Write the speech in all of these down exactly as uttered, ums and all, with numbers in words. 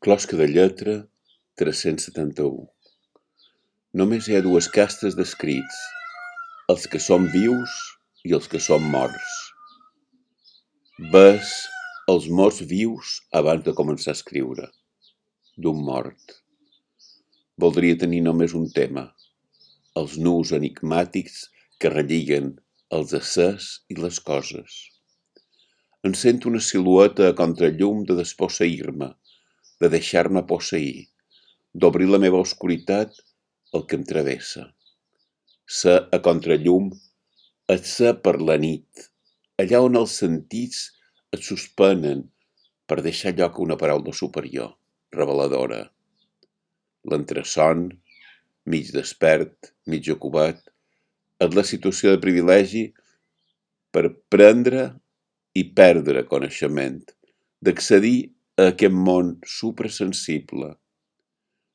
Closca de lletra tres-cents setanta-u. Només hi ha dues castes d'escrits, els que són vius i els que són morts. Ves els morts vius abans de començar a escriure, d'un mort. Voldria tenir només un tema, els nus enigmàtics que relliguen els éssers i les coses. Em sento una silueta a contrallum de desposseir-me, de deixar-me posseir, d'obrir la meva oscuritat el que em travessa. Ser a contrallum és ser per la nit, allà on els sentits et suspenen per deixar lloc a una paraula superior, reveladora. L'entreson, mig despert, mig ocupat, és la situació de privilegi per prendre i perdre coneixement, d'accedir a aquest món suprasensible.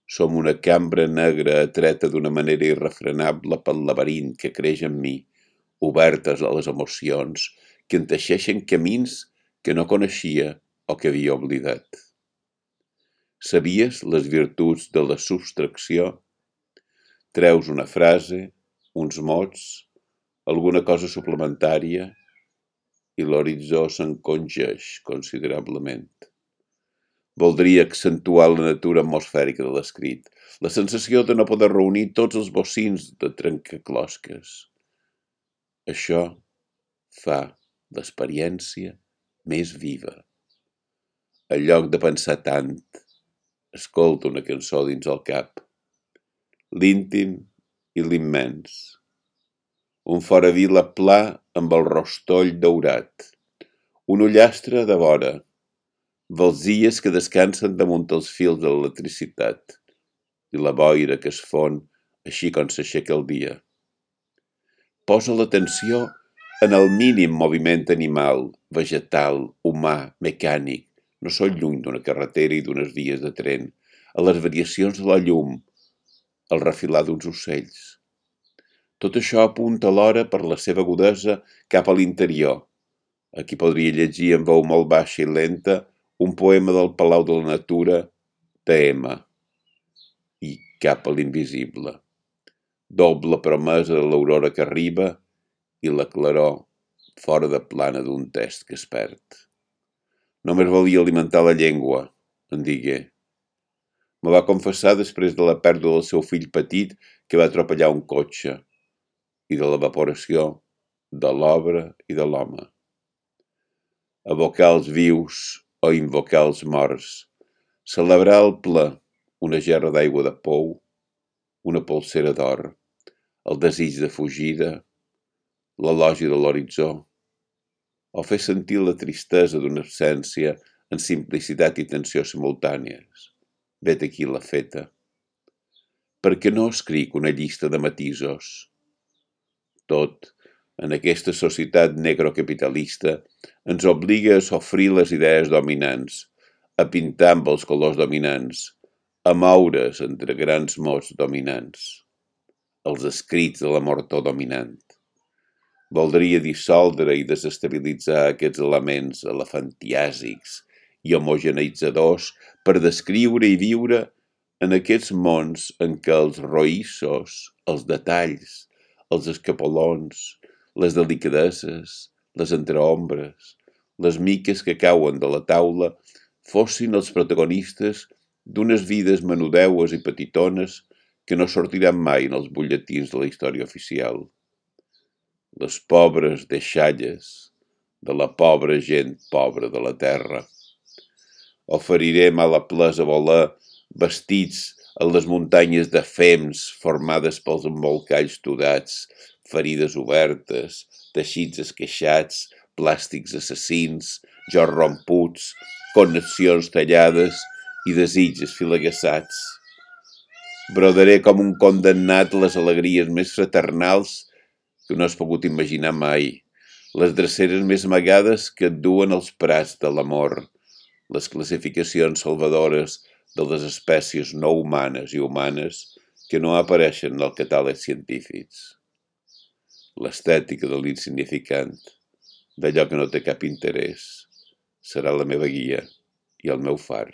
Som una cambra negra atreta d'una manera irrefrenable pel laberint que creix en mi, obertes a les emocions, que enteixeixen camins que no coneixia o que havia oblidat. Sabies les virtuts de la subtracció? Treus una frase, uns mots, alguna cosa suplementària i l'horitzó s'encongeix considerablement. Voldria accentuar la natura atmosfèrica de l'escrit, la sensació de no poder reunir tots els bocins de trencaclosques. Això fa l'experiència més viva. En lloc de pensar tant, escolta una cançó dins el cap. L'íntim i l'immens. Un fora vila pla amb el rostoll daurat. Un ullastre de vora. Valsies que descansen damunt els fils de l'electricitat i la boira que es fon així com s'aixeca el dia. Posa l'atenció en el mínim moviment animal, vegetal, humà, mecànic, no són lluny d'una carretera i d'unes vies de tren, a les variacions de la llum, al refilar d'uns ocells. Tot això apunta alhora per la seva agudesa cap a l'interior. Aquí podria llegir en veu molt baixa i lenta un poema del Palau de la Natura de Emma i cap a l'invisible. Doble promesa de l'aurora que arriba i la claror fora de plana d'un test que es perd. Només volia alimentar la llengua, em digué. Me va confessar després de la pèrdua del seu fill petit que va atropellar un cotxe i de l'evaporació de l'obra i de l'home. Evocar els vius o invocar els morts, celebrar el ple, una gerra d'aigua de pou, una polsera d'or, el desig de fugida, l'elogi de l'horitzó, o fer sentir la tristesa d'una absència en simplicitat i tensió simultànies. Vet aquí la feta. Per què no escric una llista de matisos? Tot, en aquesta societat negrocapitalista, ens obliga a sofrir les idees dominants, a pintar amb els colors dominants, a moure's entre grans mots dominants, els escrits de la mortor dominant. Voldria dissoldre i desestabilitzar aquests elements elefantiàsics i homogeneitzadors per descriure i viure en aquests mons en què els roïssos, els detalls, els escapolons, les delicadeses, les entreombres, les miques que cauen de la taula fossin els protagonistes d'unes vides menudeues i petitones que no sortiran mai en els butlletins de la història oficial. Les pobres deixalles de la pobra gent pobra de la terra. Oferirem a la plesa voler vestits en les muntanyes de fems formades pels embolcalls tudats, ferides obertes, teixits esqueixats, plàstics assassins, jords romputs, connexions tallades i desitjos filagueçats. Brodaré com un condemnat les alegries més fraternals que no has pogut imaginar mai, les dreceres més amagades que et duen els prats de l'amor, les classificacions salvadores de les espècies no humanes i humanes que no apareixen en el catàleg científics. L'estètica de l'insignificant, d'allò que no té cap interès, serà la meva guia i el meu far.